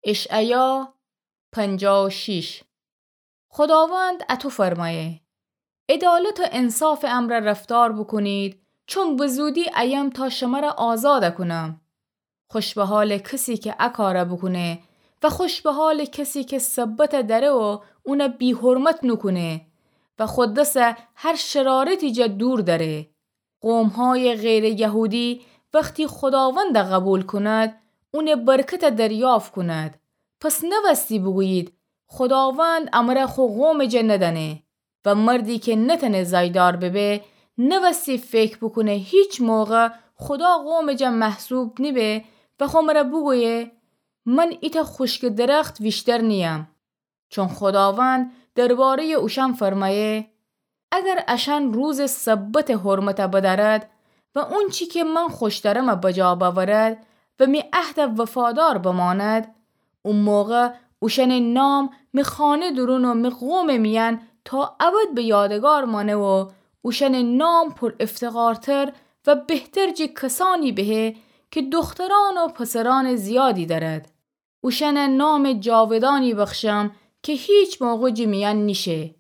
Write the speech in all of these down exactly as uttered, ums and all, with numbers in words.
اشعیا پنجاه و شش. خداوند اطو فرمایه: عدالت و انصافٚ امرأ رفتار بوکونید، چون به زودی ایم تا شمرَ آزاد کونم. خوش به حالٚ کسی که ا کارَ بوکونه و خوش به حالٚ کسی که سبتَ دأره و اونَ بی‌حرمت نوکونه و خو دسَ هر شرارتی جا دور دأره. قوم‌هایٚ غیرٚ یهودی وختی خداوندَ قبول کند، اونٚ برکتَ دریافت کند. پس نوستی بوگویید: خداوند امرَ خو قومٚ جا ندأنه. و مردی که نتأنه زایدار ببه، نوستی فکر بوکونه هیچ موقع خدا قومٚ جا محسوب نیبه و خو مرَ بوگویه: من ایتأ خوشکٚ درخت ویشتر نییم. چون خداوند درباره‌یٚ اوشأن فرمایه: اگر اشأن روزٚ سبتٚ حرمتَ بدأرد و اونچی که من خوشترمَ بجا بأورد و می عهدَ وفادار بماند، او موقع اوشأنٚ نام می خانه دورون و می قومٚ میأن تا ابد به یادگار مانه و اوشأنٚ نام پر افتخارتر و بهتر جٚه کسأنی بهه که دخترأن و پسرأنٚ زیادی دأرد. اوشأنَ نامٚ جاودانی بخشم که هیچ موقع جٚه میأن نیشه.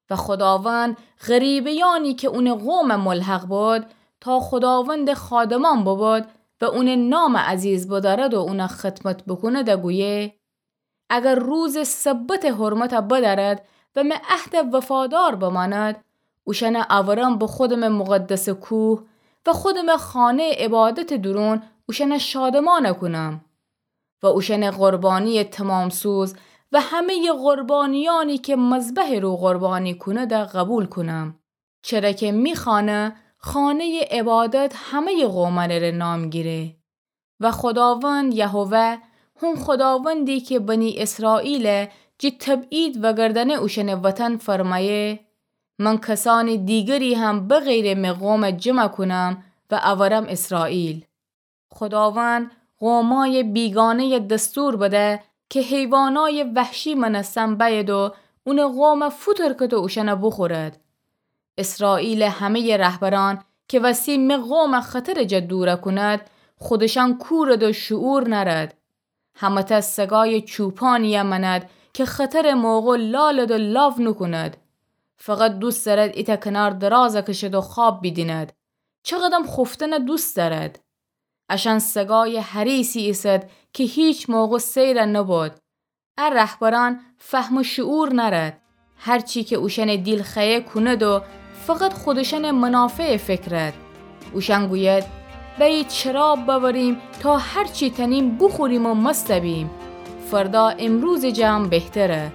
و خداوند غریبه‌یأنی که اونٚ قومَ ملحق بد، تا خداوندٚ خادمأن ببد و اونٚ نامَ عزیز بدأرد و اونَ خدمت بوکوند، گویه: اگر روزٚ سبتٚ حرمتَ بدأرد و می عهدَ وفادار بماند، اوشأنَ اورم به خودمٚ مقدسٚ کوه و خودمٚ خانه‌یٚ عبادتٚ دورون اوشأنَ شادمأن کونم. و اوشأنٚ قربانی‌یٚ تمام‌سوز و همه‌یٚ قربانی‌یأنی که مذبحٚ رو قربانی کونید قبول کونم. چره که می خانه، خانه‌یٚ عبادت همه‌یٚ قومأنٚ ره نام گیره. و خداوند یهوه، هون خداوندی که بنی اسرائیلَ جٚه تبعید وأگردأنه اوشأنٚ وطن، فرمأیه: من کسأنٚ دیگری هم بغیرٚ می قومَ جمع کونم و اورم اسرائیل. خداوند قومأیٚ بیگانه‌یَ دستور بده که حیوانأیٚ وحشی مأنستن بأید و اونٚ قومَ فوترکد و اوشأنَ بوخورد. اسرائیلٚ همه‌یٚ رهبرأن که وستی می قومَ خطرٚ جا دور کونید، خودشأن کورید و شعور نأرید. همه‌تأ سگأیٚ چوپانی‌یَ مأنید که خطرٚ موقع لالید و لاو نوکونید. فقط دوست دأرید ایتأ کنار دراز کشید و خواب بیدینید. چقدم خوفتنَ دوست دأرید. اشأن سگأیٚ حریصی ایسید که هیچ موقع سیر نوبود. ا رهبرأن فهم و شعور نأرید. هر چی که اوشأنٚ دیل خوأیه کونید و فقط خودشأنٚ منافعَ فکرید. اوشأن گویید: بأیید شراب بأوریم تا هر چی تأنیم بوخوریم و مست بیم. فردا امروزٚ جمع بهتره.